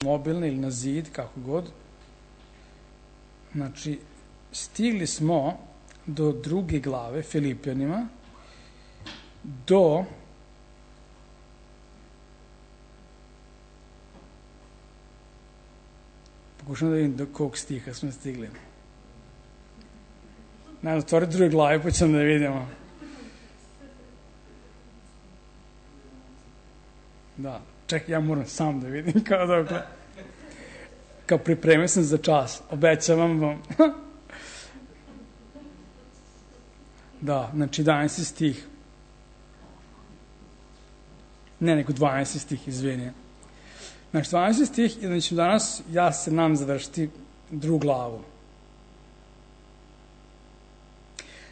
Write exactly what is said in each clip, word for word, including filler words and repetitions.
mobilne ili na zid, kako god. Znači, stigli smo do druge glave Filipljanima, do pokušam da vidim do kog stiha smo stigli. Najmo, otvori druge glave, pa ćemo da vidimo. Da, čekaj, ja moram sam da vidim kao dokle. Kao pripremio sam za čas, obećavam vam. Da, znači jedanaesti stih. Ne, nego dvanaesti stih, izvini. Znači, dvanaesti stih, i znači danas ja se nam završiti drugu glavu.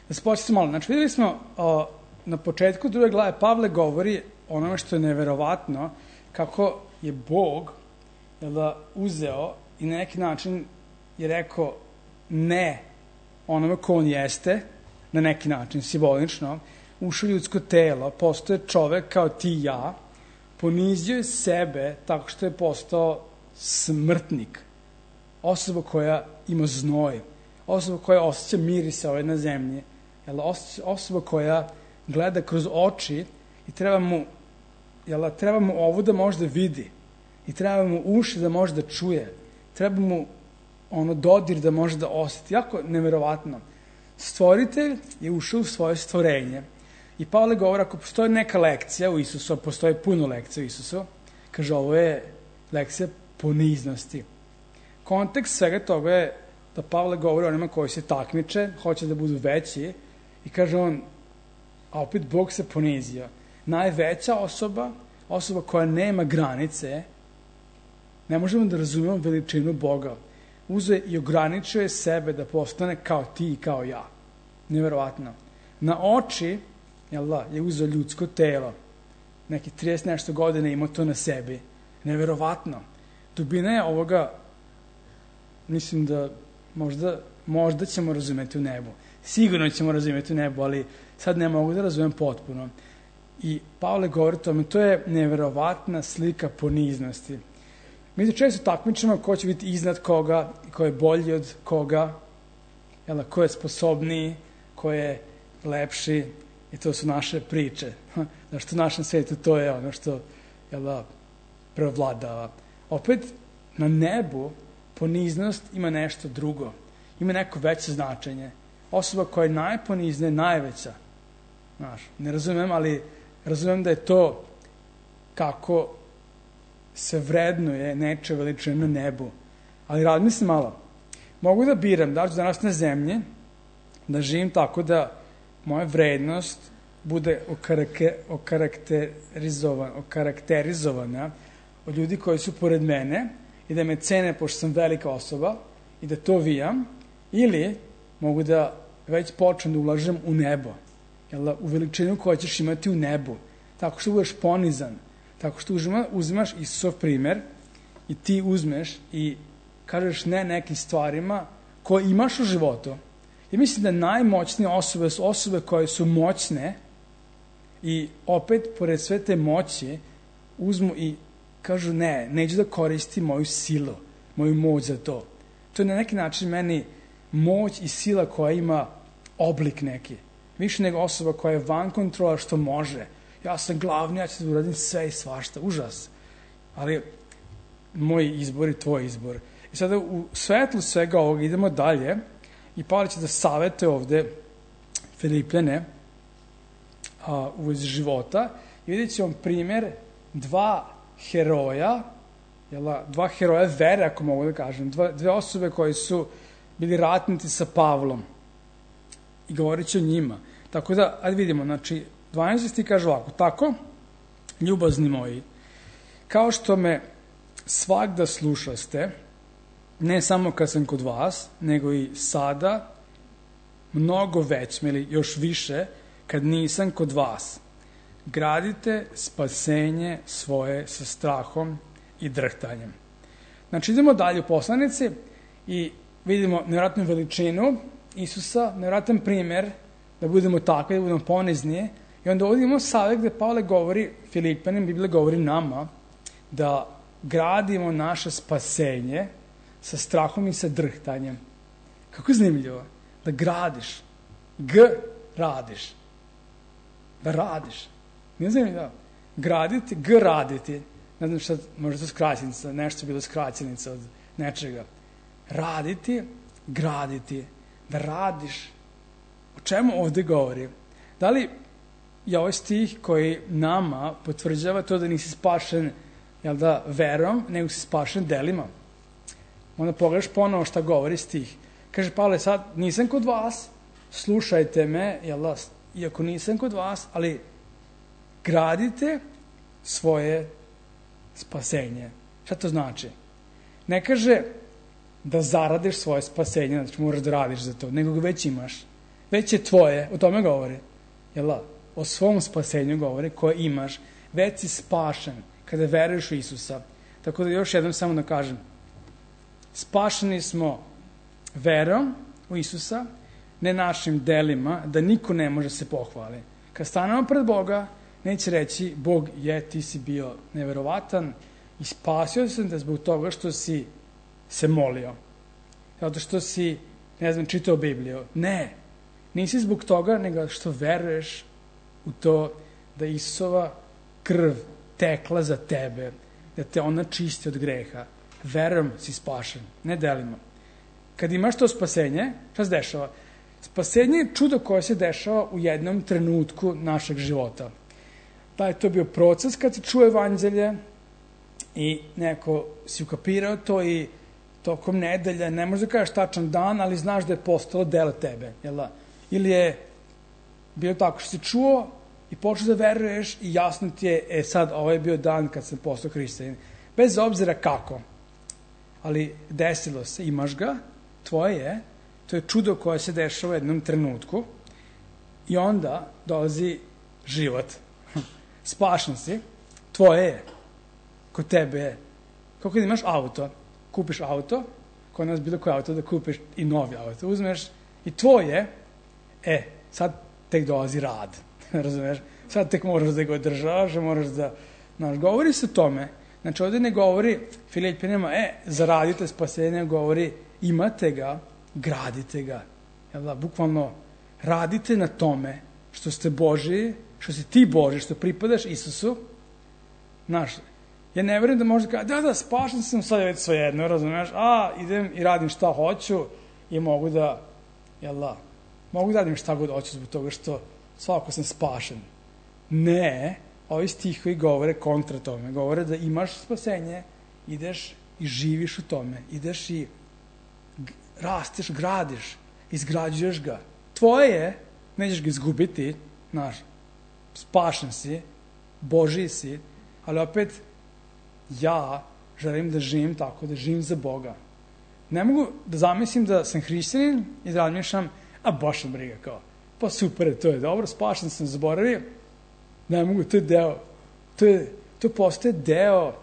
Da se početi malo. Znači, videli smo o, na početku druge glave Pavle govori onome što je neverovatno, kako je Bog da, uzeo i na neki način je rekao ne onome ko on jeste, na neki način, simbolično, ušao ljudsko telo, postoje čovek kao ti i ja, ponizio je sebe tako što je postao smrtnik, osoba koja ima znoj, osoba koja osjeća mirise ove na zemlji, osoba koja gleda kroz oči i treba mu, jel, treba mu ovo da može da vidi i treba mu uši da može da čuje, treba mu ono dodir da može da osjeti. Jako neverovatno. Stvoritelj je ušao u svoje stvorenje i Pavle govori, ako postoji neka lekcija u Isusu, a postoji puno lekcija u Isusu, kaže, ovo je lekcija poniznosti. Kontekst svega toga je da Pavle govori onima koji se takmiče, hoće da budu veći i kaže on, a opet Bog se ponizio. Najveća osoba, osoba koja nema granice, ne možemo da razumemo veličinu Boga. Uzeo i ograničio je sebe da postane kao ti i kao ja. Neverovatno. Na oči, jel da, je uzeo ljudsko telo. Neki trideset nešto godine imao to na sebi. Neverovatno. Dubina je ovoga, mislim da možda, možda ćemo razumeti u nebu. Sigurno ćemo razumeti u nebu, ali sad ne mogu da razumem potpuno. I Pavle govori o tome, to je neverovatna slika poniznosti. Mi se često takmičimo ko će biti iznad koga, ko je bolji od koga, jel, ko je sposobniji, ko je lepši, i to su naše priče. Zašto u našem svijetu to je ono što, jel, prevladava. Opet, na nebu poniznost ima nešto drugo. Ima neko veće značenje. Osoba koja je najponizna je najveća. Znaš, ne razumem, ali razumem da je to kako se vrednuje neče veličine na nebu. Ali razmislim malo. Mogu da biram da ću danas na zemlji, da živim tako da moja vrednost bude okarakterizovana, okarakterizovana od ljudi koji su pored mene i da me cene pošto sam velika osoba i da to vijam, ili mogu da već počnem da ulažem u nebo, jel, u veličinu koju ćeš imati u nebu, tako što budeš ponizan, tako što uzima, uzimaš Isusov primer i ti uzmeš i kažeš ne nekim stvarima koje imaš u životu. I mislim da najmoćnije osobe su osobe koje su moćne i opet, pored sve te moći, uzmu i kažu ne, neću da koristim moju silu, moju moć za to. To je na neki način meni moć i sila koja ima oblik neki. Više nego osoba koja je van kontrola što može. Ja sam glavni, ja ću da uradim sve i svašta. Užas. Ali moj izbor i tvoj izbor. I sada u svetlu svega ovoga idemo dalje i Pavle će da savete ovde Filipljane a, u vezi života i vidjet ćemo primjer dva heroja, jela, dva heroja vere, ako mogu da kažem, dva, dve osobe koje su bili ratnici sa Pavlom i govorit će o njima. Tako da, ajde vidimo, znači, dvanaesti kaže ovako, tako, ljubazni moji, kao što me svagda slušaste, ne samo kad sam kod vas, nego i sada, mnogo već, ili još više, kad nisam kod vas. Gradite spasenje svoje sa strahom i drhtanjem. Znači, idemo dalje u poslanici i vidimo nevjerojatnu veličinu Isusa, nevjerojatan primjer da budemo takvi, da budemo ponizni. I onda ovdje imamo savjet gde Pavle govori Filipljanima, Biblija govori nama, da gradimo naše spasenje sa strahom i sa drhtanjem. Kako je zanimljivo da gradiš, g radiš, da radiš. Nije zanimljivo. Graditi, g raditi. Ne znam šta, možda to skraćenica, nešto je bilo skraćenica od nečega. Raditi, graditi, da radiš. O čemu ovde govori? Da li je ovaj stih koji nama potvrđava to da nisi spašen, jel da, verom, nego si spašen delima? Onda pogledaš ponovo šta govori stih. Kaže Pavle, sad nisam kod vas, slušajte me, jel da, iako nisam kod vas, ali gradite svoje spasenje. Šta to znači? Ne kaže da zaradiš svoje spasenje, znači moraš da radiš za to, nego ga već imaš. Već je tvoje, o tome govori. Jel da? O svom spasenju govori koje imaš. Već si spašen kada veruješ u Isusa. Tako da još jednom samo da kažem. Spašeni smo verom u Isusa, ne našim delima, da niko ne može se pohvali. Kad stanemo pred Boga, neće reći, Bog je, ti si bio neverovatan i spasio sam te zbog toga što si se molio. Zato što si, ne znam, čitao Bibliju. Ne, nisi zbog toga, nego što veruješ u to da Isusova krv tekla za tebe, da te ona čisti od greha. Verom si spašen, ne delima. Kad imaš to spasenje, šta se dešava? Spasenje je čudo koje se dešava u jednom trenutku našeg života. Da je to bio proces kad se čuje evanđelje i neko si ukapirao to i tokom nedelja, ne možeš da kažeš tačan dan, ali znaš da je postalo delo tebe. Jel da? Ili je bilo tako što si čuo i počeo da veruješ i jasno ti je, e sad, ovo je bio dan kad sam postao hrišćanin. Bez obzira kako. Ali desilo se, imaš ga, tvoje je, to je čudo koje se dešava u jednom trenutku i onda dolazi život. Spašen si, tvoje je, kod tebe je. Kako da imaš auto, kupiš auto, kod nas bilo koje auto da kupiš i novi auto, uzmeš i tvoje, e, sad tek dolazi rad, razumeš? Sad tek moraš da ga održavaš, moraš da, znaš, govori se o tome. Znači, ovdje ne govori Filipinima, e, zaradite spasenje, govori, imate ga, gradite ga. Jel da, bukvalno, radite na tome što ste Božiji, što si ti Božji, što pripadaš Isusu. Znaš, ja ne verujem da možda kada, da, da, spašen sam, sad je već svejedno, razumiješ, a, idem i radim šta hoću i mogu da, jel da, mogu da radim šta god hoću zbog toga što svako sam spašen. Ne, ovi stihovi govore kontra tome, govore da imaš spasenje, ideš i živiš u tome, ideš i rasteš, gradiš, izgrađuješ ga. Tvoje je, nećeš ga izgubiti, znaš, spašen si, Božiji si, ali opet ja želim da živim tako, da živim za Boga. Ne mogu da zamislim da sam hrišćanin i da razmišljam, a baš sam briga, kao, pa super, to je dobro, spašen sam, zaboravio. Ne mogu, to je deo, to, je, to postaje deo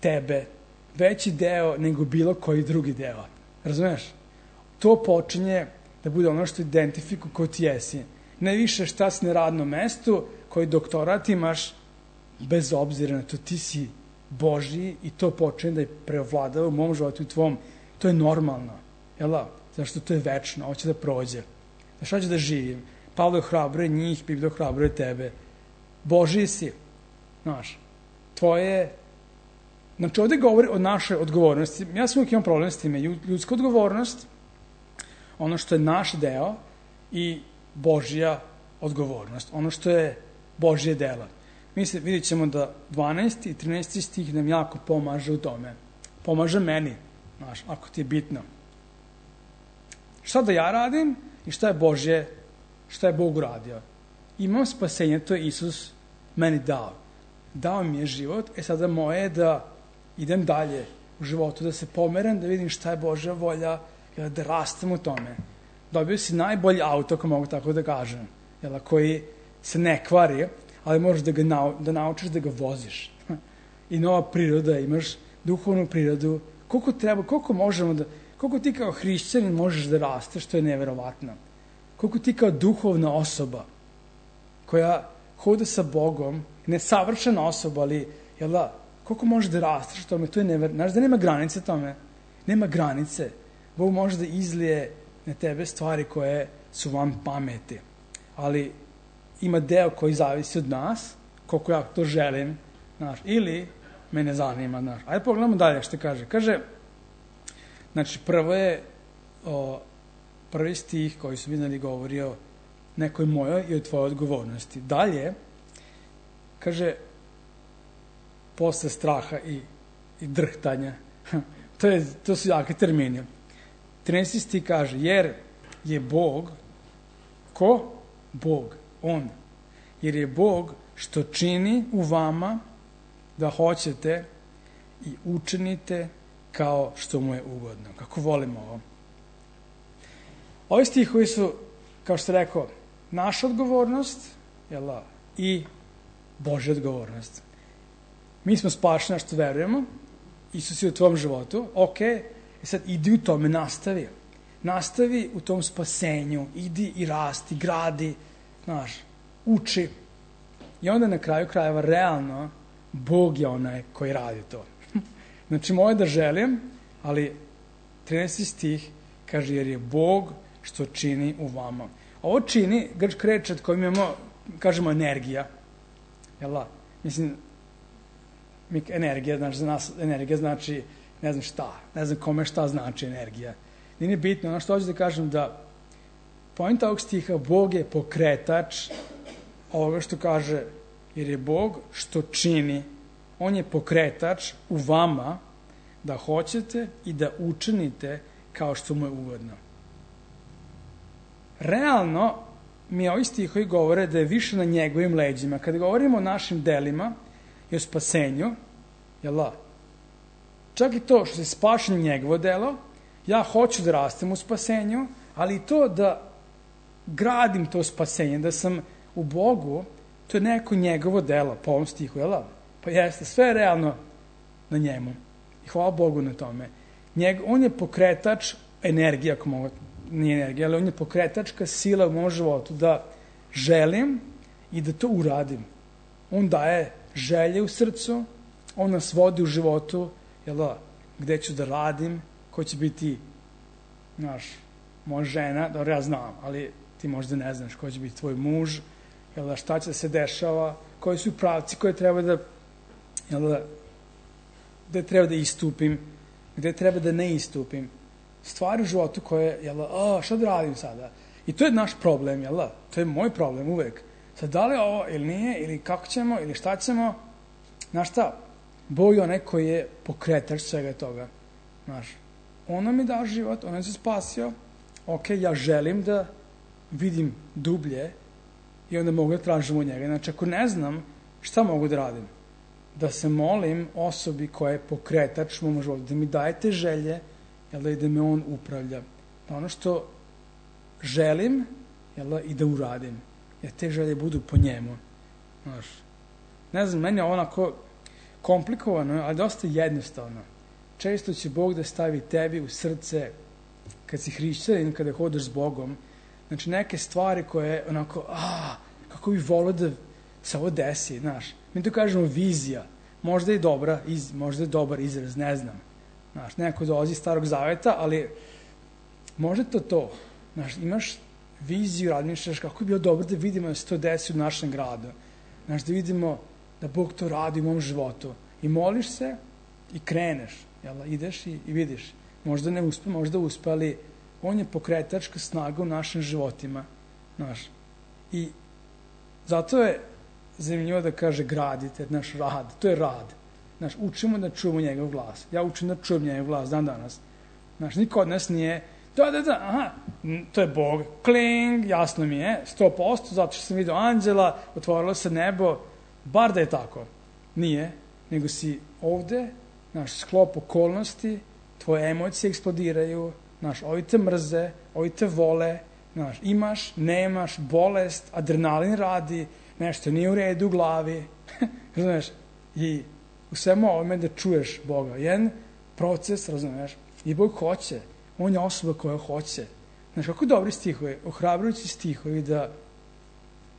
tebe, veći deo nego bilo koji drugi deo. Razumeš? To počinje da bude ono što identifikuje ko ti jesi. Ne više šta si na radnom mestu, koji doktorat imaš, bez obzira na to, ti si Božji i to počinje da je preovladava u mom životu i tvom. To je normalno. Jel da? Zašto to je večno, hoće da prođe. Znaš, hoće da živim. Pavle ohrabruje njih, Biblija ohrabruje tebe. Božji si. Znaš, tvoje... Znači, ovdje govori o našoj odgovornosti. Ja sam uvijek imam problem s time. Ljudska odgovornost, ono što je naš deo i Božja odgovornost. Ono što je Božje dela. Mislim, vidjet ćemo da dvanaesti i trinaesti stih nam jako pomaže u tome. Pomaže meni, znaš, ako ti je bitno. Šta da ja radim i šta je Božje, šta je Bog uradio? Imam spasenje, to je Isus meni dao. Dao mi je život, e sada moje je da idem dalje u životu, da se pomeram, da vidim šta je Božja volja, da rastem u tome. Dobio si najbolji auto, ako mogu tako da kažem, jel, koji se ne kvari, ali možeš da, ga nau, da naučiš da ga voziš. I nova priroda, imaš duhovnu prirodu. Koliko treba, koliko možemo da, koliko ti kao hrišćanin možeš da rasteš, to je neverovatno. Koliko ti kao duhovna osoba, koja hoda sa Bogom, nesavršena osoba, ali, jel da, koliko možeš da rasteš tome, to je never... Znaš da nema granice tome? Nema granice. Bog može da izlije na tebe stvari koje su vam pameti. Ali ima deo koji zavisi od nas, koliko ja to želim, znaš, ili me ne zanima, znaš. Ajde pogledamo dalje što kaže. Kaže, znači prvo je o, prvi stih koji su vidjeli govori o nekoj mojoj i o tvojoj odgovornosti. Dalje, kaže, posle straha i, i drhtanja, to, je, to su jake termini. trinaesti stih kaže, jer je Bog, ko? Bog, on. Jer je Bog što čini u vama da hoćete i učinite kao što mu je ugodno. Kako volimo ovo. Ovi stihovi su, kao što rekao, naša odgovornost, jel, i Božja odgovornost. Mi smo spašeni što verujemo, Isus je u tvom životu, ok, i sad idi u tome, nastavi. Nastavi u tom spasenju, idi i rasti, gradi, znaš, uči. I onda na kraju krajeva realno Bog je onaj koji radi to. Znači, moje da želim, ali trinaesti stih kaže, jer je Bog što čini u vama. Ovo čini, grčka reč od kojim imamo, kažemo, energija. Jel da? Mislim, energija, znači, za nas energija znači, ne znam šta, ne znam kome šta znači energija. Nije bitno, ono što hoću da kažem da poenta ovog stiha, Bog je pokretač ovoga što kaže, jer je Bog što čini, on je pokretač u vama da hoćete i da učinite kao što mu je ugodno. Realno, mi ovi stihovi govore da je više na njegovim leđima. Kada govorimo o našim delima i o spasenju, jel da? Čak i to što se spašen njegovo delo, ja hoću da rastem u spasenju, ali i to da gradim to spasenje, da sam u Bogu, to je neko njegovo delo, po ovom stihu, jel da? Pa jeste, sve je realno na njemu. I hvala Bogu na tome. Njeg, on je pokretač energija, ako mogu, nije energija, ali on je pokretačka sila u mom životu da želim i da to uradim. On daje želje u srcu, on nas vodi u životu, jel da, gde ću da radim, ko će biti, znaš, moja žena, dobro, ja znam, ali ti možda ne znaš ko će biti tvoj muž, jel da, šta će da se dešava, koji su pravci koje treba da, jel da, gde treba da istupim, gde treba da ne istupim. Stvari u životu koje, jel da, a, šta da radim sada? I to je naš problem, jel da? To je moj problem uvek. Sad, da li je ovo ili nije, ili kako ćemo, ili šta ćemo, znaš šta? Bog je onaj koji je pokretač svega toga. Znaš, ono mi dao život, ono se spasio, ok, ja želim da vidim dublje i onda mogu da tražim od njega. Znači, ako ne znam, šta mogu da radim? Da se molim osobi koja je pokretač mom životu, da mi daje te želje, jel da, i da me on upravlja. Da ono što želim, jel da, i da uradim. Jer te želje budu po njemu. Znaš, ne znam, meni je onako komplikovano, ali dosta jednostavno. Često će Bog da stavi tebi u srce, kad si hrišćanin, kada hodaš s Bogom, znači neke stvari koje onako, a, kako bi volio da se ovo desi, znaš. Mi to kažemo vizija. Možda je dobra, iz, možda je dobar izraz, ne znam. Znaš, neko dolazi iz Starog Zaveta, ali možda to to. Znaš, imaš viziju, razmišljaš kako bi bilo dobro da vidimo da se to desi u našem gradu. Znaš, da vidimo da Bog to radi u mom životu. I moliš se i kreneš. Jel, ideš i, i vidiš. Možda ne uspe, možda uspe, ali on je pokretačka snaga u našim životima. Znaš. I zato je zanimljivo da kaže gradite, naš rad. To je rad. Znaš, učimo da čujemo njegov glas. Ja učim da čujem njegov glas dan danas. Znaš, niko od nas nije da, da, da, aha, to je Bog. Kling, jasno mi je, sto posto, zato što sam vidio anđela, otvorilo se nebo, bar da je tako. Nije, nego si ovde, naš sklop okolnosti, tvoje emocije eksplodiraju, naš, ovi te mrze, ovi te vole, naš, imaš, nemaš, bolest, adrenalin radi, nešto nije u redu u glavi, razumeš, i u svemu ovome da čuješ Boga. Jedan proces, razumeš, i Bog hoće, on je osoba koja hoće. Znaš, kako dobri stihovi, ohrabrujući stihovi da,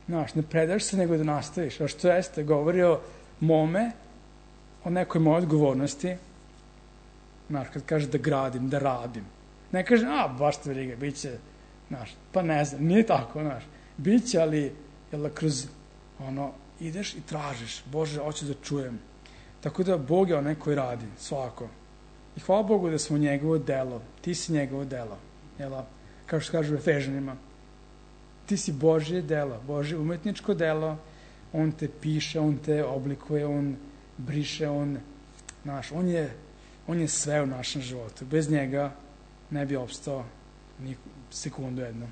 znaš, ne predaš se nego da nastaviš. A što jeste, govori o mome o nekoj mojoj odgovornosti, znaš, kad kaže da gradim, da radim. Ne kaže, a, baš te briga, bit će, znaš, pa ne znam, nije tako, znaš. Biće, ali, jel da, kroz, ono, ideš i tražiš, Bože, hoću da čujem. Tako da Bog je onaj koji radi, svako. I hvala Bogu da smo njegovo delo, ti si njegovo delo, jel da, kao što kažu Efežanima. Ti si Božje delo, Božje umetničko delo, on te piše, on te oblikuje, on briše, on, znaš, on je, on je sve u našem životu. Bez njega ne bi opstao ni sekundu jednu.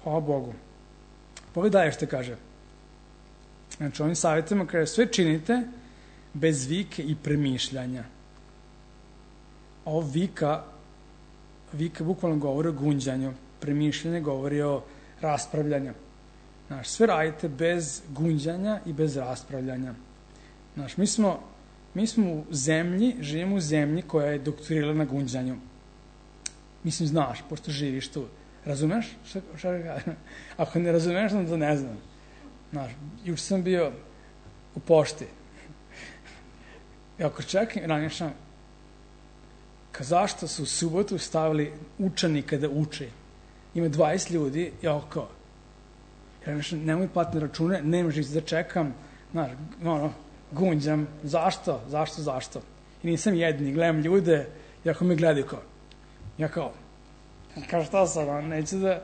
Hvala Bogu. Pogledaj što kaže. Znači, ovim savjetima kaže, sve činite bez vike i premišljanja. Ovo vika, vika bukvalno govori o gunđanju, premišljanje govori o raspravljanju. Znaš, sve radite bez gunđanja i bez raspravljanja. Znaš, mi smo, mi smo u zemlji, živimo u zemlji koja je doktorirala na gunđanju. Mislim, znaš, pošto živiš tu. Razumeš? Šta, šta kažem? Ako ne razumeš, onda ne znam. Znaš, juče sam bio u pošti. I ako čekam, ranješam, ka zašto su u subotu stavili učenika da uči? Ima dvadeset ljudi, ja kao, ranješam, nemoj platne račune, nemaš da čekam, znaš, ono, gunđam, zašto, zašto, zašto? I nisam jedini, gledam ljude, i ako me gledaju kao, ja kao, kao šta sam, on, neću da,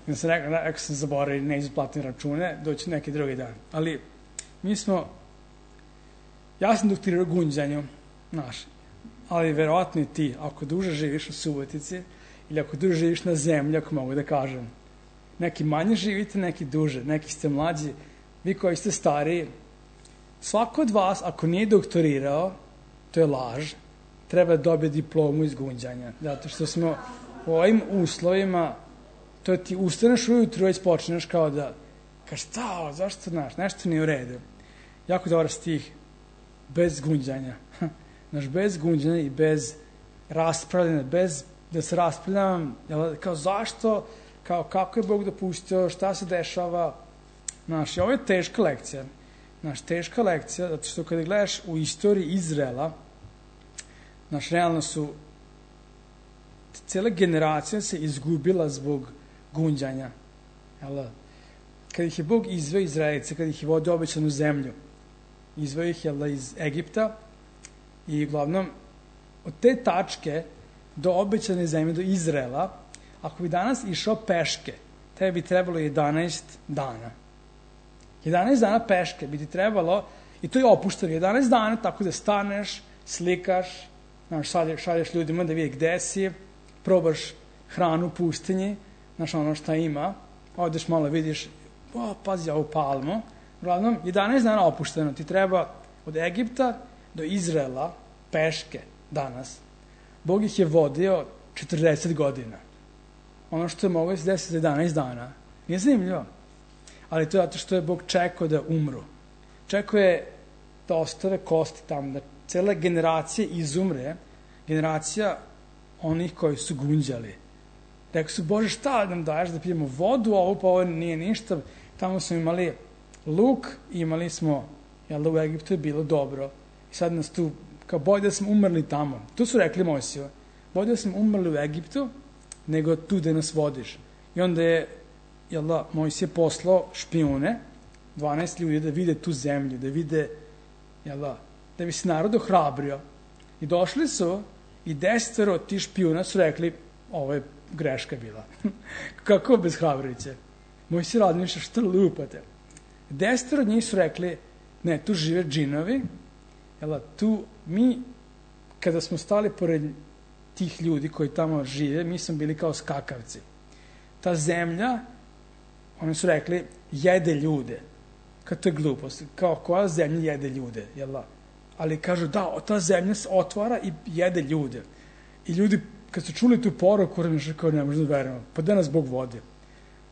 ja sam rekao, rekao sam zaboravio, neću platne račune, doći neki drugi dan. Ali, mi smo, ja sam doktorirao gunđanju, znaš, ali verovatno i ti, ako duže živiš u Subotici, ili ako duže živiš na zemlji, ako mogu da kažem, neki manje živite, neki duže, neki ste mlađi, vi koji ste stariji, svako od vas, ako nije doktorirao, to je laž, treba dobiti diplomu iz gunđanja, zato što smo u ovim uslovima, to ti ustaneš ujutru, već počneš kao da, kao šta, zašto, znaš, nešto nije u redu. Jako dobar stih, bez gunđanja, znaš, bez gunđanja i bez raspravljanja, bez da se raspravljam, kao zašto, kao kako je Bog dopustio, šta se dešava, znaš, i ovo je teška lekcija, znaš, teška lekcija, zato što kada gledaš u istoriji Izraela, znaš, realno su, cijela generacija se izgubila zbog gunđanja, jel? Kada ih je Bog izveo Izraelice, kada ih je vodio obećanu zemlju, izveo ih, jel, iz Egipta, i uglavnom, od te tačke do obećane zemlje, do Izraela, ako bi danas išao peške, tebi bi trebalo jedanaest dana. jedanaest dana peške bi ti trebalo, i to je opušteno, jedanaest dana, tako da staneš, slikaš, znaš, šalješ, šalješ ljudima da vidi gde si, probaš hranu u pustinji, znaš, ono šta ima, odeš malo, vidiš, o, pazi ovu palmu, uglavnom, jedanaest dana opušteno, ti treba od Egipta do Izraela peške danas. Bog ih je vodio četrdeset godina. Ono što je moglo se desiti za jedanaest dana. Nije zanimljivo. Ali to je zato što je Bog čekao da umru. Čekao je da ostave kosti tamo, da cela generacija izumre, generacija onih koji su gunđali. Rekao su, Bože, šta nam daješ da pijemo vodu, ovo pa ovo nije ništa. Tamo smo imali luk, imali smo, jel da u Egiptu je bilo dobro. I sad nas tu, kao bolje da smo umrli tamo. Tu su rekli Mojsiju, bolje da smo umrli u Egiptu, nego tu da nas vodiš. I onda je, jel da, Mojsije poslao špijune, dvanaest ljudi, da vide tu zemlju, da vide, jel da, da bi se narod ohrabrio. I došli su i desetero ti špijuna su rekli, ovo je greška bila. Kako bez hrabroviće? Mojsije razmišlja, šta lupate? Desetero od njih su rekli, ne, tu žive džinovi, jel da, tu mi, kada smo stali pored tih ljudi koji tamo žive, mi smo bili kao skakavci. Ta zemlja, oni su rekli, jede ljude. Kad to je glupost, kao koja zemlja jede ljude, jel da? Ali kažu, da, ta zemlja se otvara i jede ljude. I ljudi, kad su čuli tu poruku, razmišljaju kao ne možemo da verujemo, pa da nas Bog vodi.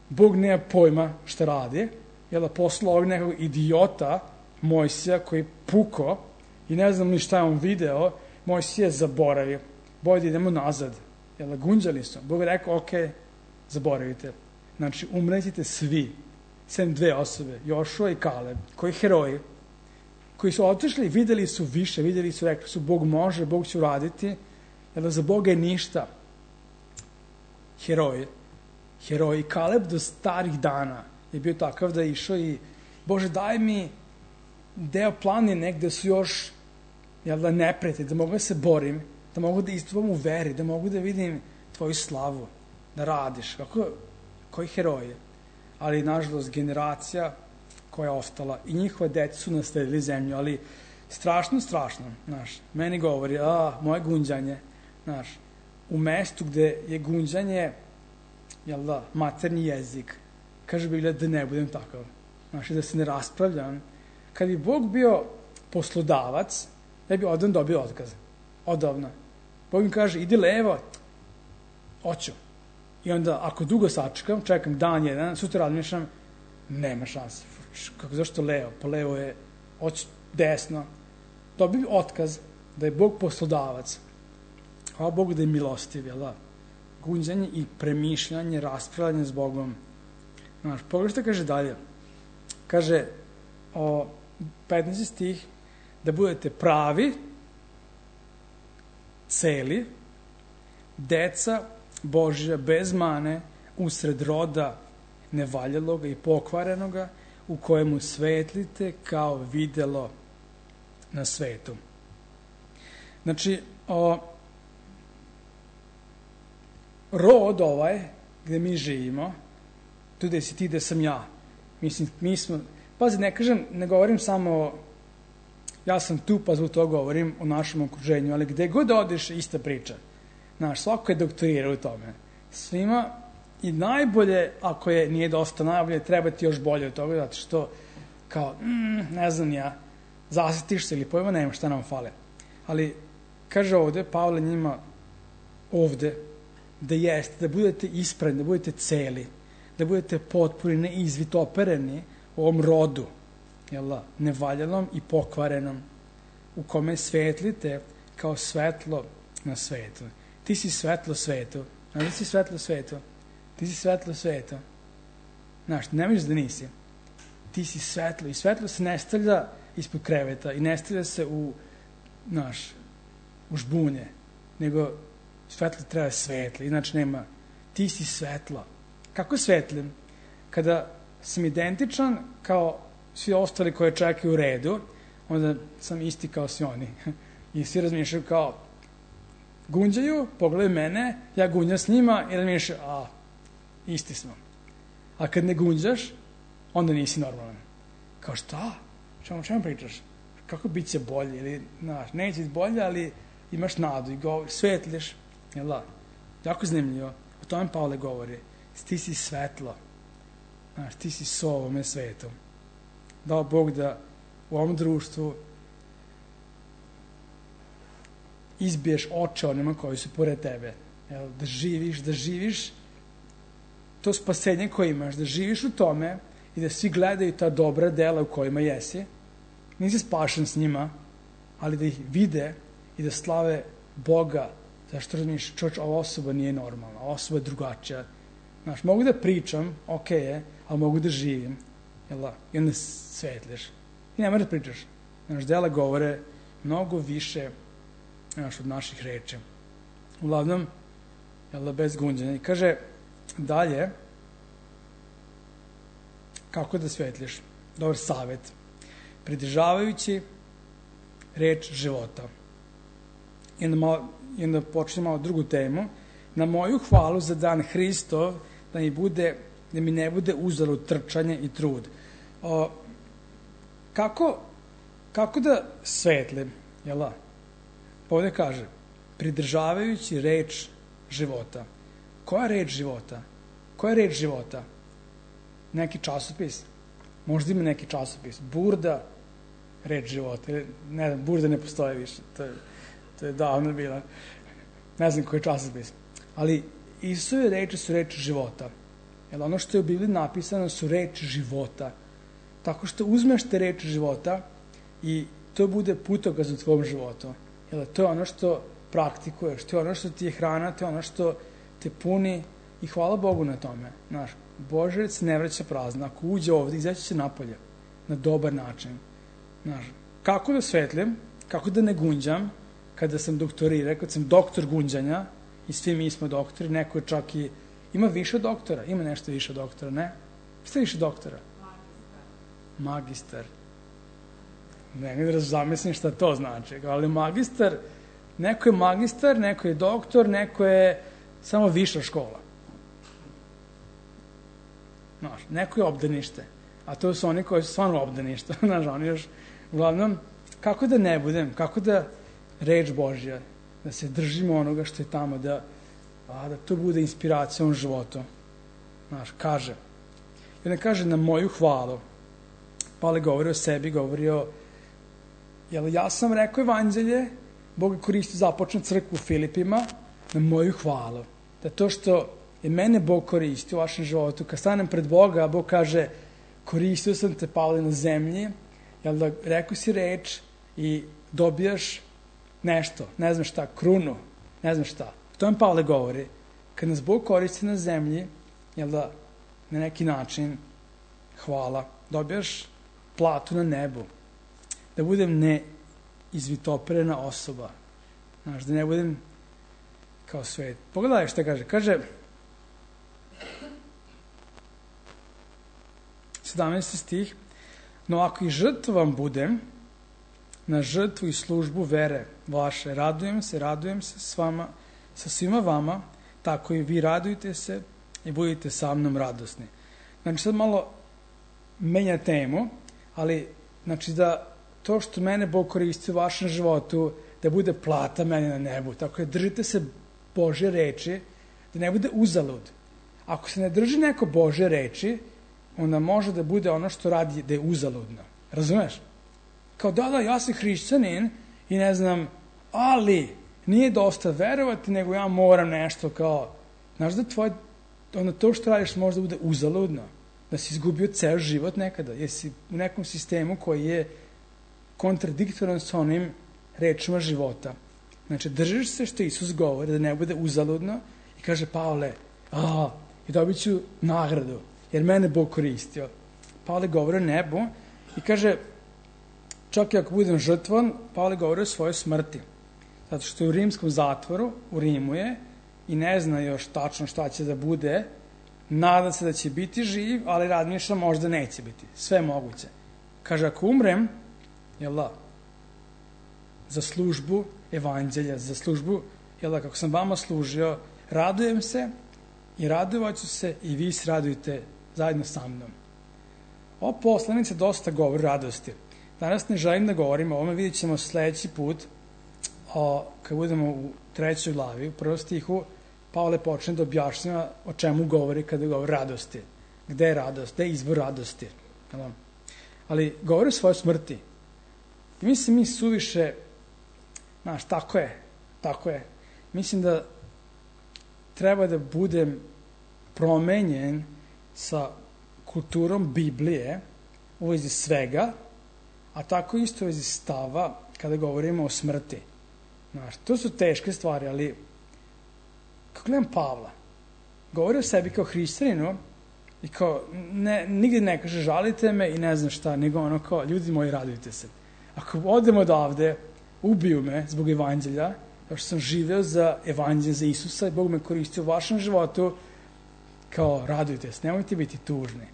Bog nema pojma šta radi, jel da, poslao ovog nekog idiota, Mojsija, koji puko, i ne znam ni šta je on video, Mojsija je zaboravio. Bolje da idemo nazad. Jel da, gunđali su. Bog je rekao, ok, zaboravite. Znači, umretite svi, sem dve osobe, Jošua i Kaleb, koji heroji, koji su otišli, videli su više, videli su, rekli su, Bog može, Bog će uraditi, jer za Boga je ništa. Heroj, heroj. Kaleb do starih dana je bio takav da je išao i, Bože, daj mi deo planine gde su još, jel da, neprijatelji, da mogu da se borim, da mogu da istupam u veri, da mogu da vidim tvoju slavu, da radiš. Kako, koji heroje. Ali, nažalost, generacija koja je ostala i njihove dece su nasledili zemlju, ali strašno, strašno, znaš, meni govori, a, moje gunđanje, znaš, u mestu gde je gunđanje, jel da, materni jezik, kaže Biblija da ne budem takav, znaš, da se ne raspravljam. Kad bi Bog bio poslodavac, ja bi odavno dobio otkaz, odavno. Bog mi kaže, idi levo, hoću. I onda, ako dugo sačekam, čekam dan jedan, sutra razmišljam, nema šanse. Kako, zašto levo? Pa levo je, hoću desno. Dobio otkaz da je Bog poslodavac. Hvala Bogu da je milostiv, jel da? Gunđanje i premišljanje, raspravljanje s Bogom. Znaš, pogledaj što kaže dalje. Kaže, o petnaesti stih, da budete pravi, celi, deca Božja bez mane, usred roda nevaljeloga i pokvarenoga, u kojemu svetlite kao videlo na svetu. Znači, o, rod ovaj, gde mi živimo, tu gde si ti, gde sam ja. Mislim, mi smo, pazi, ne kažem, ne govorim samo, ja sam tu, pa zbog toga govorim o našem okruženju, ali gde god odeš, ista priča. Znaš, svako je doktorirao u tome. Svima, i najbolje, ako je nije dosta najbolje, treba ti još bolje od toga, zato što, kao, mm, ne znam ja, zasetiš se ili pojma, nema šta nam fale. Ali, kaže ovde, Pavle njima ovde, da jeste, da budete ispravni, da budete celi, da budete potpuni, ne izvitopereni u ovom rodu, jel, nevaljalom i pokvarenom, u kome svetlite kao svetlo na svetu. Ti si svetlo svetu. Znaš da si svetlo svetu? Ti si svetlo svetu. Znaš, ne misliš da nisi. Ti si svetlo. I svetlo se ne stavlja ispod kreveta i ne stavlja se u, znaš, u žbunje. Nego svetlo treba svetlo. Inače nema. Ti si svetlo. Kako svetlim? Kada sam identičan kao svi ostali koje čekaju u redu, onda sam isti kao svi oni. I svi razmišljaju kao, gunđaju, pogledaju mene, ja gunjam s njima i razmišljaju, a, isti smo. A kad ne gunđaš, onda nisi normalan. Kao šta? Čemu, čemu pričaš? Kako bit će bolje? Ili, znaš, neće biti bolje, ali imaš nadu i govor, svetliš. Jel da? Jako zanimljivo. O tome Pavle govori. Ti si svetlo. Znaš, ti si so ovome svetu. Dao Bog da u ovom društvu izbiješ oče onima koji su pored tebe. Jel, da živiš, da živiš to spasenje koje imaš, da živiš u tome i da svi gledaju ta dobra dela u kojima jesi. Nisi spašen s njima, ali da ih vide i da slave Boga. Zašto razmišljaš, čovječ, ova osoba nije normalna, ova osoba je drugačija. Znaš, mogu da pričam, ok je, ali mogu da živim. Jel da? I onda svetliš. I ne moraš da pričaš. Znaš, dela govore mnogo više, znaš, od naših reči. Uglavnom, jel da, bez gunđanja. I kaže dalje, kako da svetliš? Dobar savjet. Pridržavajući reč života. I onda, malo, i onda počne malo drugu temu. Na moju hvalu za dan Hristov, da mi, bude, da mi ne bude uzalud trčanje i trud. O, kako, kako da svetlim? Jel da? Ovdje kaže, pridržavajući reč života. Koja reč života? Koja reč života? Neki časopis? Možda ima neki časopis. Burda, reč života. Ne znam, Burda ne postoje više. To je, to je davno bila. Ne znam koji je časopis. Ali Isusove reči su reči života. Jer ono što je u Bibliji napisano su reči života. Tako što uzmeš te reči života i to bude putokaz u tvom životu. Jer to je ono što praktikuješ, to je ono što ti je hrana, to je ono što te puni i hvala Bogu na tome. Znaš, Božac ne vraća prazno. Ako uđe ovdje, izaći će napolje na dobar način. Znaš, kako da svetlim, kako da ne gunđam, kada sam doktorirao, kad sam doktor gunđanja, i svi mi smo doktori, neko je čak i, ima više doktora, ima nešto više doktora, ne? Šta je više doktora? Magistar. Magistar. Ne, ne da zamislim šta to znači, ali magistar, neko je magistar, neko je doktor, neko je samo viša škola. Znaš, neko je obdanište, a to su oni koji su stvarno obdanište, znaš, oni još, uglavnom, kako da ne budem, kako da reč Božja, da se držimo onoga što je tamo, da, a, da to bude inspiracija u životu. Znaš, kaže, i ne kaže na moju hvalu, Pavle govori o sebi, govori o, jel, ja sam rekao evanđelje, Bog je koristio započnu crkvu u Filipima, na moju hvalu. Da to što je mene Bog koristio u vašem životu, kad stanem pred Boga, Bog kaže, koristio sam te, Pavle, na zemlji, jel da rekao si reč i dobijaš nešto, ne znam šta, krunu, ne znam šta. To vam Pavle govori. Kad nas Bog koristi na zemlji, jel da, na neki način, hvala, dobijaš platu na nebu. Da budem neizvitoperena osoba. Znaš, da ne budem kao svet. Pogledaj šta kaže. Kaže, sedamnaesti stih, no ako i žrtvom budem, na žrtvu i službu vere vaše, radujem se, radujem se s vama, sa svima vama, tako i vi radujte se i budite sa mnom radosni. Znači, sad malo menja temu, ali, znači, da to što mene Bog koristi u vašem životu, da bude plata meni na nebu. Tako je, držite se Božje reči, da ne bude uzalud. Ako se ne drži neko Božje reči, onda može da bude ono što radi da je uzaludno. Razumeš? Kao da, da, ja sam hrišćanin i ne znam, ali nije dosta verovati, nego ja moram nešto kao, znaš da tvoje, ono to što radiš možda bude uzaludno, da si izgubio ceo život nekada, jer si u nekom sistemu koji je kontradiktoran sa onim rečima života. Znači, držiš se što Isus govori, da ne bude uzaludno i kaže, Pavle, a, i dobit ću nagradu, jer mene Bog koristio. Pavle govori o nebu i kaže, čak i ako budem žrtvan, Pavle govori o svojoj smrti. Zato što je u rimskom zatvoru, u Rimu je, i ne zna još tačno šta će da bude, nada se da će biti živ, ali razmišlja možda neće biti. Sve moguće. Kaže, ako umrem, jel da, za službu evanđelja, za službu, jel da, kako sam vama služio, radujem se i radovaću se i vi se radujte zajedno sa mnom. Ova poslanica dosta govori radosti. Danas ne želim da govorimo o ovome, vidjet ćemo sledeći put, o, kad budemo u trećoj glavi, u prvom stihu, Pavle počne da objašnjava o čemu govori kada govori radosti. Gde je radost? Gde je izvor radosti? Ali govori o svojoj smrti. I mislim mi suviše, znaš, tako je, tako je. Mislim da treba da budem promenjen sa kulturom Biblije u vezi svega, a tako isto u vezi stava kada govorimo o smrti. Znaš, to su teške stvari, ali kako gledam Pavla, govori o sebi kao hrišćaninu i kao, ne, nigdje ne kaže žalite me i ne znam šta, nego ono kao, ljudi moji, radujte se. Ako odem odavde, ubiju me zbog evanđelja, kao što sam živeo za evanđelje, za Isusa i Bog me koristio u vašem životu, kao, radujte se, nemojte biti tužni.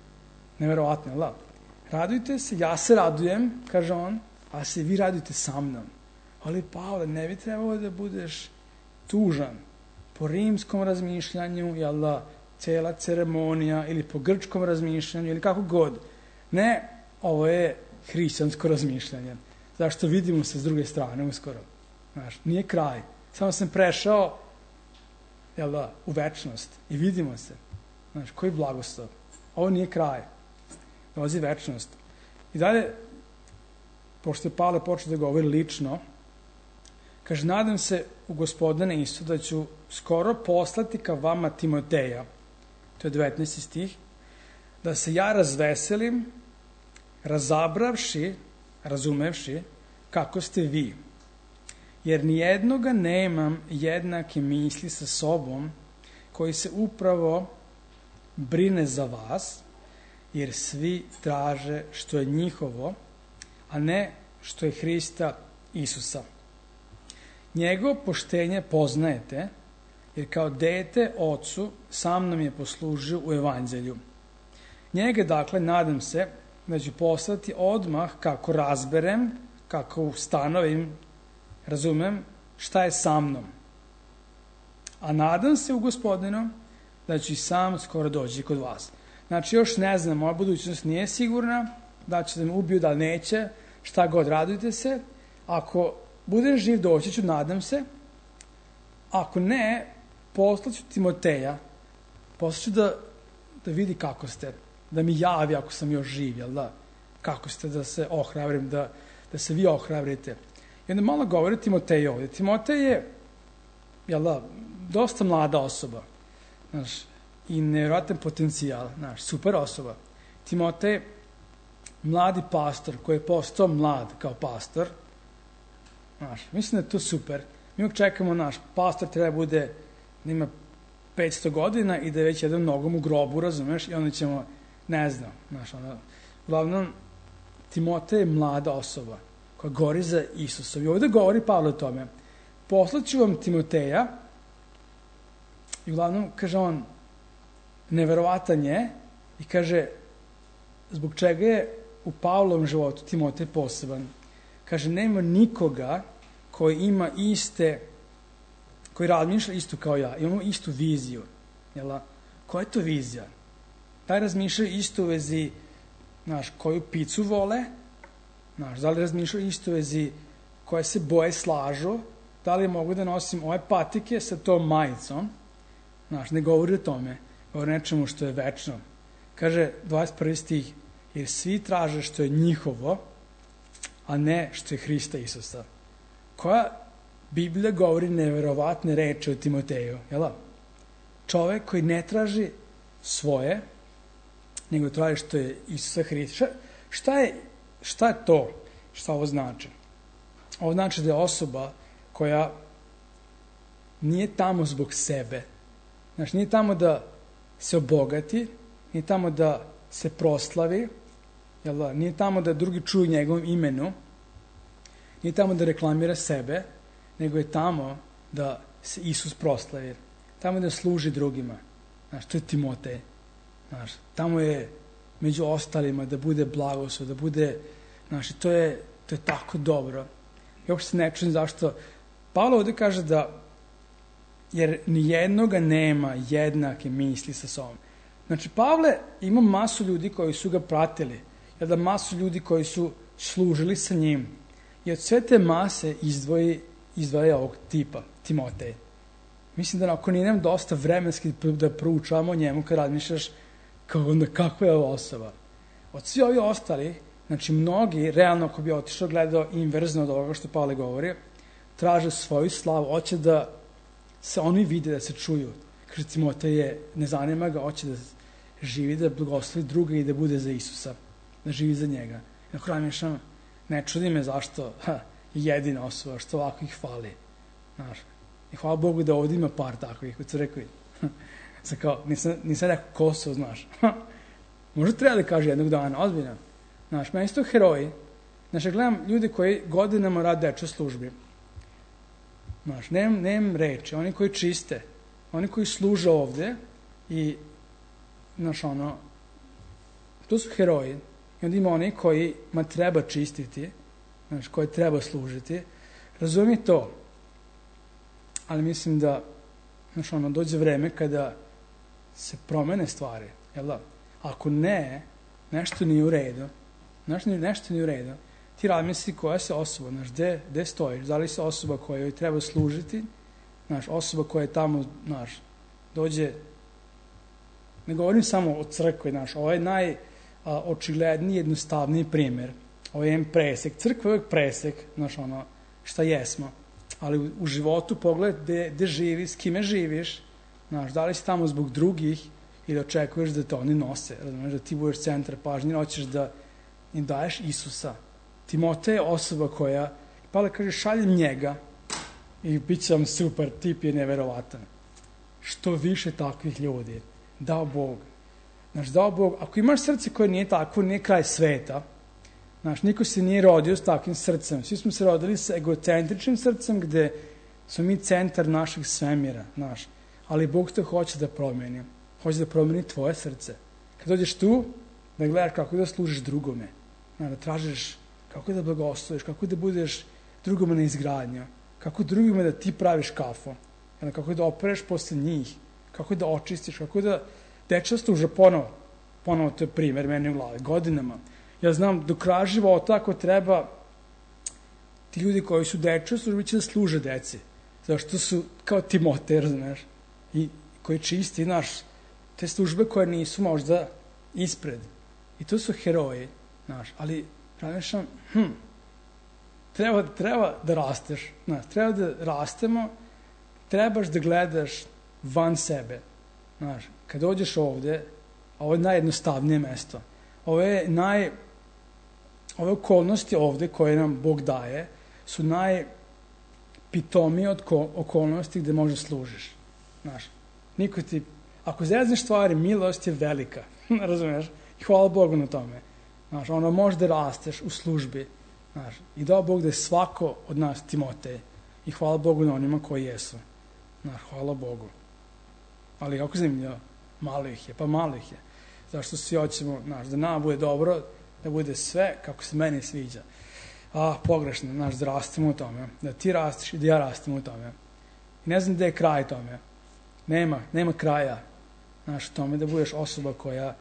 Neverovatno, la. Radujte se, ja se radujem, kaže on, a se vi radujte sa mnom. Ali, Pavle, ne bi trebalo da budeš tužan po rimskom razmišljanju, jel da, cela ceremonija, ili po grčkom razmišljanju, ili kako god. Ne, ovo je hrišćansko razmišljanje. Zašto vidimo se s druge strane uskoro. Znaš, nije kraj. Samo sam prešao, jel da, u večnost i vidimo se. Znaš, koji blagoslov. Ovo nije kraj. Dolazi večnost. I dalje, pošto je Pavle počeo da govori lično, kaže, nadam se u Gospodina Isu da ću skoro poslati ka vama Timoteja, to je devetnaesti stih, da se ja razveselim, razabravši, razumevši kako ste vi. Jer nijednoga nemam jednake misli sa sobom koji se upravo brine za vas, jer svi traže što je njihovo, a ne što je Hrista Isusa. Njegovo poštenje poznajete, jer kao dete ocu sam nam je poslužio u evanđelju. Njega, dakle, nadam se da ću poslati odmah kako razberem, kako ustanovim, razumem šta je sa mnom. A nadam se u Gospodinu da ću i sam skoro doći kod vas. Znači, još ne znam, moja budućnost nije sigurna, da će da me ubiju, da neće, šta god, radujte se. Ako budem živ, doći ću, nadam se. Ako ne, poslaću Timoteja, poslaću da, da vidi kako ste, da mi javi ako sam još živ, jel da? Kako ste, da se ohrabrim, da, da se vi ohrabrite. I onda malo govori Timotej ovdje. Timotej je, jel da, dosta mlada osoba, znaš, i nevjerojatan potencijal, znaš, super osoba. Timotej, mladi pastor koji je postao mlad kao pastor, znaš, mislim da je to super. Mi uvijek čekamo, naš pastor treba bude, da ima petsto godina i da je već jedan nogom u grobu, razumeš, i onda ćemo, ne znam, znaš, ono, uglavnom, Timotej je mlada osoba koja gori za Isusom. I ovdje govori Pavle o tome. Poslaću vam Timoteja, i uglavnom, kaže on, neverovatan je, i kaže, zbog čega je u Pavlovom životu Timotej poseban. Kaže, nema nikoga koji ima iste, koji razmišlja isto kao ja, imamo istu viziju. Jel? Koja je to vizija? Da razmišljaju isto u vezi, znaš, koju picu vole, znaš, da li razmišljaju isto u vezi koje se boje slažu, da li mogu da nosim ove patike sa tom majicom, znaš, ne govori o tome, govori nečemu što je večno. Kaže, dvadeset prvi stih, jer svi traže što je njihovo, a ne što je Hrista Isusa. Koja Biblija govori neverovatne reči o Timoteju, jel? Čovek koji ne traži svoje, nego traži što je Isusa Hrista. Šta je, šta je to? Šta ovo znači? Ovo znači da je osoba koja nije tamo zbog sebe. Znači, nije tamo da se obogati, nije tamo da se proslavi, jel da? Nije tamo da drugi čuju njegovom imenu, nije tamo da reklamira sebe, nego je tamo da se Isus proslavi. Tamo da služi drugima. Znaš, to je Timotej. Znaš, tamo je među ostalima da bude blagoslov, da bude, znaš, to je, to je tako dobro. I uopšte se ne čujem zašto. Pavle ovdje kaže da, jer nijednoga nema jednake misli sa sobom. Znači, Pavle ima masu ljudi koji su ga pratili, jer da masu ljudi koji su služili sa njim. I od sve te mase izdvoji, izdvaja ovog tipa, Timotej. Mislim da ako nije nam dosta vremenski da proučavamo o njemu kad razmišljaš kao onda kakva je ova osoba. Od svi ovi ostali, znači mnogi, realno ako bi otišao gledao inverzno od ovoga što Pavle govori, traže svoju slavu, hoće da se oni vide, da se čuju. Kaže, Timotej je, ne zanima ga, hoće da živi, da blagoslovi druga i da bude za Isusa, da živi za njega. I ako razmišljam, ne čudi me zašto ha, je jedina osoba, što ovako ih fali. Znaš, i hvala Bogu da ovdje ima par takvih u crkvi. Sad kao, nisam, nisam rekao Kosovo, znaš. Možda treba da kaže jednog dana, ozbiljno. Znaš, meni su to heroji. Znaš, ja gledam ljude koji godinama rade dečoj službi. Znaš, nemam, nemam reči. Oni koji čiste, oni koji služe ovdje i, znaš, ono, to su heroji. I onda ima oni kojima treba čistiti, znaš, koji treba služiti. Razumije to. Ali mislim da, znaš, ono, dođe vreme kada se promene stvari, jel da? Ako ne, nešto nije u redu, znaš, nešto nije u redu, ti razmisli koja se osoba, znaš, gde, gde stojiš, da li se osoba koja joj treba služiti, znaš, osoba koja je tamo, znaš, dođe, ne govorim samo o crkvi, znaš, ovo je najočigledniji, jednostavniji primjer, ovo je jedan presek, crkva je uvijek presek, znaš, ono, šta jesmo, ali u, u životu pogledaj gde, gde živiš, s kime živiš, znaš, da li si tamo zbog drugih ili očekuješ da te oni nose, razumiješ, da ti budeš centar pažnje, hoćeš da im daješ Isusa. Timotej je osoba koja, Pavle kaže, šaljem njega i bit će vam super, tip je neverovatan. Što više takvih ljudi, dao Bog. Znaš, dao Bog, ako imaš srce koje nije tako, nije kraj sveta, Znaš, niko se nije rodio s takvim srcem. Svi smo se rodili sa egocentričnim srcem gde smo mi centar našeg svemira, znaš. Ali Bog te hoće da promeni. Hoće da promeni tvoje srce. Kad dođeš tu, da gledaš kako da služiš drugome. Da tražiš kako da blagosloviš, kako da budeš drugome na izgradnju, kako drugome da ti praviš kafu, kako da opereš posle njih, kako da očistiš, kako da deca služa ponovo. Ponovo to je primer meni u glavi, godinama. Ja znam, do kraja života, ako treba, ti ljudi koji su deca službi će da služe deci. Zašto su kao Timote, razumeš? I koji čisti, znaš, te službe koje nisu možda ispred. I to su heroji, znaš, ali razmišljam, hm, treba, treba da rasteš, znaš, treba da rastemo, trebaš da gledaš van sebe, znaš, kad dođeš ovde, ovo je najjednostavnije mesto, ovo je naj, ove okolnosti ovde koje nam Bog daje, su najpitomije od okolnosti gde možda služiš, znaš, niko ti, ako zezneš stvari, milost je velika, razumiješ, i hvala Bogu na tome. Znaš, ono može da rasteš u službi. Znaš, i dao Bog da je svako od nas Timotej. I hvala Bogu na onima koji jesu. Znaš, hvala Bogu. Ali kako zanimljivo, malo ih je, pa malo ih je. Zašto svi hoćemo, znaš, da nama bude dobro, da bude sve kako se meni sviđa. A, pogrešno, znaš, da rastemo u tome. Da ti rasteš i da ja rastem u tome. I ne znam gde je kraj tome. Nema, nema kraja. Znaš, tome da budeš osoba koja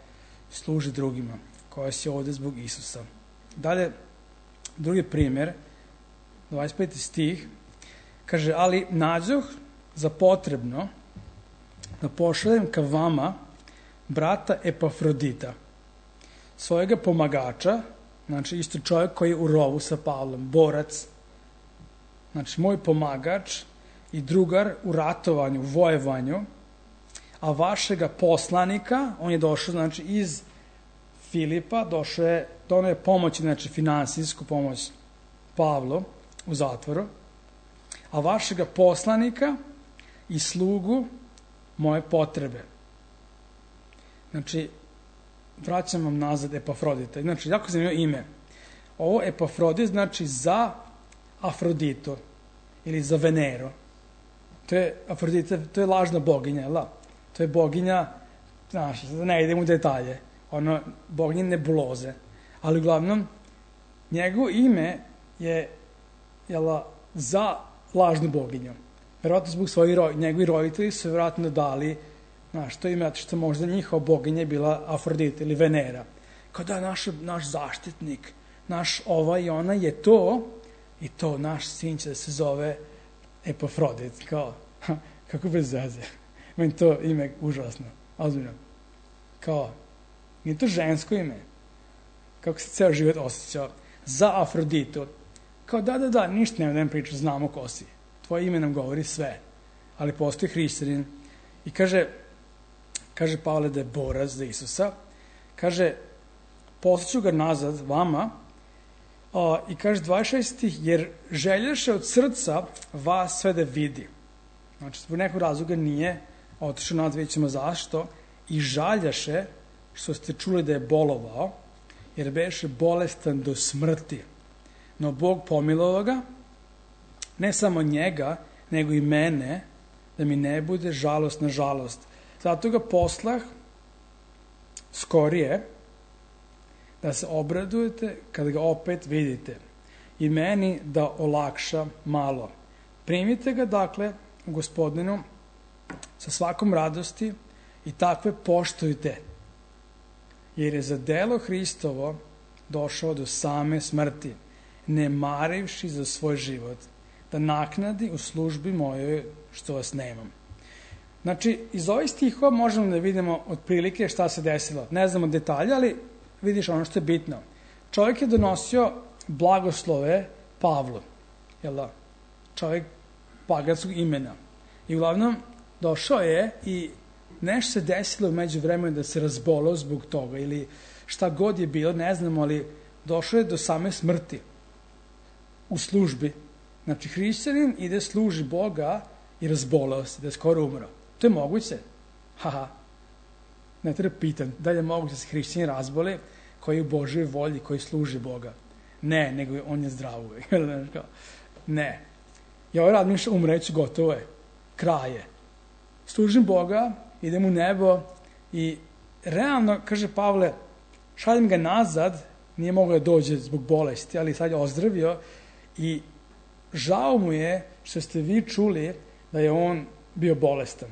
služi drugima, koja si ovde zbog Isusa. Dalje, drugi primjer, dvadeset peti stih, kaže, ali nađoh za potrebno da pošaljem ka vama brata Epafrodita, svojega pomagača, znači isto čovjek koji je u rovu sa Pavlom, borac, znači moj pomagač i drugar u ratovanju, u vojevanju, a vašega poslanika, on je došao, znači, iz Filipa, došao je, donao je pomoć, znači, finansijsku pomoć Pavlu u zatvoru, a vašega poslanika i slugu moje potrebe. Znači, vraćam vam nazad Epafrodita. Znači, jako zanimljivo ime. Ovo Epafrodit znači za Afroditu ili za Veneru. To je Afrodita, to je lažna boginja, la? To je boginja, znaš, ne idem u detalje, ono, boginje nebuloze. Ali uglavnom, njegovo ime je, jela, za lažnu boginju. Verovatno zbog svojih roditelja, njegovi roditelji su verovatno dali, znaš, to ime, što možda njihova boginja je bila Afrodita ili Venera. Kao da naš, naš zaštitnik, naš ova i ona je to, i to, naš sin će da se zove Epafrodit, kao, ha, kako bez veze. Meni to ime užasno, ozbiljno. Kao, nije to žensko ime. Kako se ceo život osjećao. Za Afroditu. Kao, da, da, da, ništa nema da nam priča, znamo ko si. Tvoje ime nam govori sve. Ali postoji hrišćanin. I kaže, kaže Pavle da je borac za Isusa. Kaže, poslaću ga nazad vama. A, I kaže dvadeset šesti jer želješe od srca vas sve da vidi. Znači, zbog nekog razloga nije otišao nazad, vidjet ćemo zašto, i žaljaše što ste čuli da je bolovao, jer beše bolestan do smrti. No Bog pomilovao ga, ne samo njega, nego i mene, da mi ne bude žalost na žalost. Zato ga poslah skorije, da se obradujete kad ga opet vidite, i meni da olakša malo. Primite ga, dakle, u Gospodinu sa svakom radosti i takve poštujte, jer je za delo Hristovo došao do same smrti, ne marivši za svoj život, da naknadi u službi mojoj što vas nemam. Znači, iz ovih stihova možemo da vidimo otprilike šta se desilo. Ne znamo detalje, ali vidiš ono što je bitno. Čovjek je donosio blagoslove Pavlu, jel da? Čovjek paganskog imena. I uglavnom došao je i nešto se desilo među vremenu da se razbolao zbog toga ili šta god je bilo, ne znamo, ali došao je do same smrti u službi. Znači, hrišćanin ide služi Boga i razbolao se, da je skoro umro. To je moguće. Haha. Ne treba pitan da je moguće da se hrišćanin razboli koji je u Božoj volji, koji služi Boga. Ne, nego on je zdrav uvek. Ne. Ja ovaj razmišljam, umreću, gotovo je. Kraj je. Služim Boga, idem u nebo i realno, kaže Pavle, šaljem ga nazad, nije mogao da dođe zbog bolesti, ali sad je ozdravio i žao mu je što ste vi čuli da je on bio bolestan.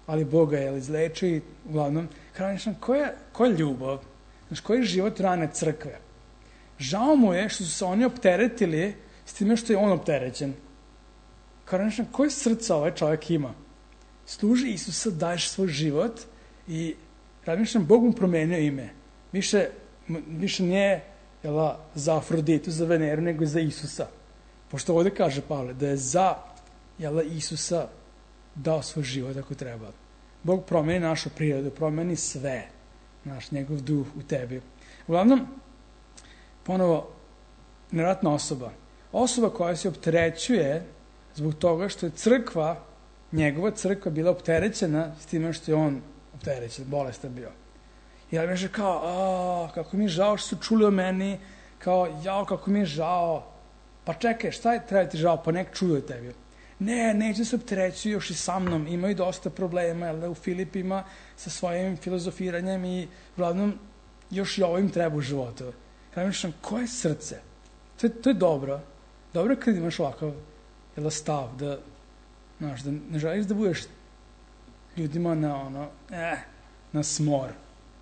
Ali Bog ga je izlečio i uglavnom, kažem, koja, koja je ljubav? Znaš, koji je život rane crkve? Žao mu je što su se oni opteretili s time što je on opterećen. Kažem, koje srca ovaj čovjek ima? Služi Isusa, daješ svoj život i razmišljam, Bog mu promenio ime. Više, više nije jela, za Afroditu, za Veneru, nego za Isusa. Pošto ovdje kaže Pavle da je za jela, Isusa dao svoj život ako treba. Bog promeni našu prirodu, promeni sve. Naš, njegov duh u tebi. Uglavnom, ponovo, nevjerojatna osoba. Osoba koja se opterećuje zbog toga što je crkva, njegova crkva bila opterećena s time što je on opterećen, bolestan bio. I ja mi je kao, a, kako mi je žao što su čuli o meni, kao, jao, kako mi je žao. Pa čekaj, šta je treba ti žao, pa nek čuju o tebi. Ne, neće se opterećuju još i sa mnom, imaju dosta problema, jel da, u Filipima sa svojim filozofiranjem i uglavnom još i ovo im treba u životu. Ja mislim, koje srce? To je, to je dobro. Dobro kad imaš ovakav jel, stav, da, znaš, da ne želiš da budeš ljudima na ono, eh, na smor.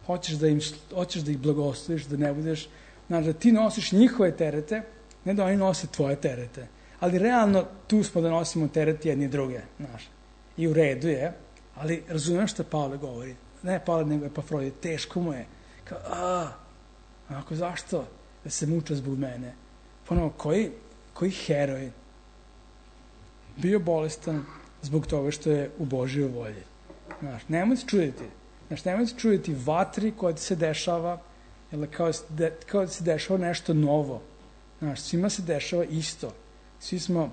Hoćeš da, im, hoćeš da ih blagosloviš, da ne budeš, znaš, da ti nosiš njihove terete, ne da oni nose tvoje terete. Ali realno tu smo da nosimo teret jedni druge, znaš. I u redu je, ali razumem što Pavle govori. Ne Pavle, nego je Epafrodit, teško mu je. Kao, a, onako, zašto da se muča zbog mene? Ponovo, koji, koji heroj bio bolestan zbog toga što je u Božjoj volji. Znaš, nemoj se čuditi. Znaš, nemoj se čuditi vatri koja ti se dešava, jer kao, de, kao da se dešava nešto novo. Znaš, svima se dešava isto. Svi smo,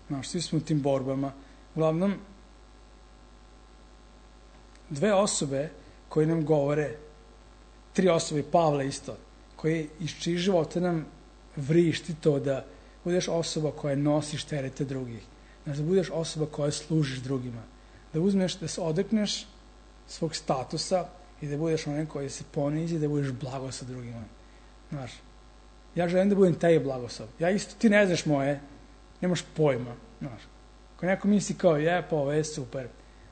znaš, svi smo u tim borbama. Uglavnom, dve osobe koje nam govore, tri osobe, Pavle isto, koji iz čijih života nam vrišti to da budeš osoba koja nosiš terete drugih. Znaš, da budeš osoba koja služiš drugima. Da uzmeš, da se odrekneš svog statusa i da budeš onaj koji se ponizi i da budeš blagoslov drugima. Znaš, ja želim da budem taj blagoslov. Ja isto, ti ne znaš moje, nemaš pojma. Znaš, ako neko misli kao, je, pa ovo je super.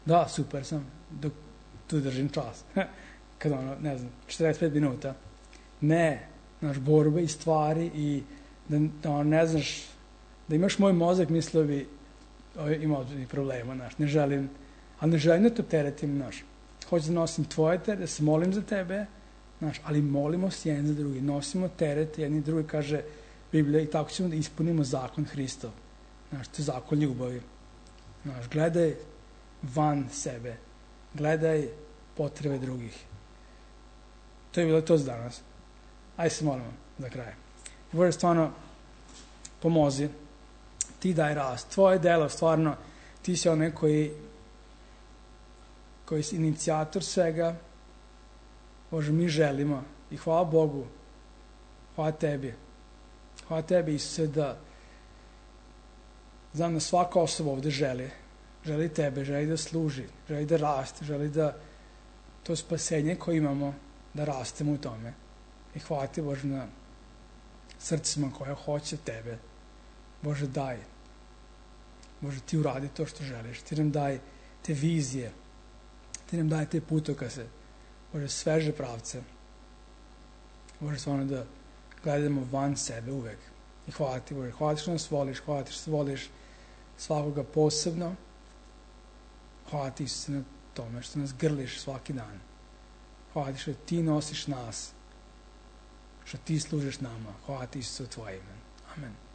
Da, super sam, dok tu držim čas. Kad ono, ne znam, četrdeset pet minuta. Ne, znaš, borbe i stvari i da, da ne znaš, da imaš moj mozak, mislio bi, imao bi problema, znaš, ne želim, ali ne želim da te opteretim, znaš. Hoću da nosim tvoje teret, da se molim za tebe, znaš, ali molimo se jedan za drugi, nosimo teret, jedni drugi, kaže Biblija, i tako ćemo da ispunimo zakon Hristov. Znaš, to je zakon ljubavi. Znaš, gledaj van sebe, gledaj potrebe drugih. To je bilo to za danas. Ajde se molimo za kraj. Bože, stvarno, pomozi, ti daj rast. Tvoje delo, stvarno, ti si onaj koji, koji si inicijator svega. Bože, mi želimo i hvala Bogu, hvala tebi. Hvala tebi, Isuse, da znam da svaka osoba ovde želi. Želi tebe, želi da služi, želi da raste, želi da to spasenje koje imamo, da rastemo u tome. I hvala ti, Bože, na srcima koja hoće tebe. Bože, daj. Bože, ti uradi to što želiš. Ti nam daj te vizije. Ti nam daj te putokaze. Bože, sveže pravce. Bože, stvarno da gledamo van sebe uvek. I hvala ti, Bože. Hvala ti što nas voliš. Hvala ti što voliš svakoga posebno. Hvala ti, Isuse, na tome što nas grliš svaki dan. Hvala ti što ti nosiš nas. Što ti služiš nama. Hvala ti, Isuse, u tvoje ime. Amen.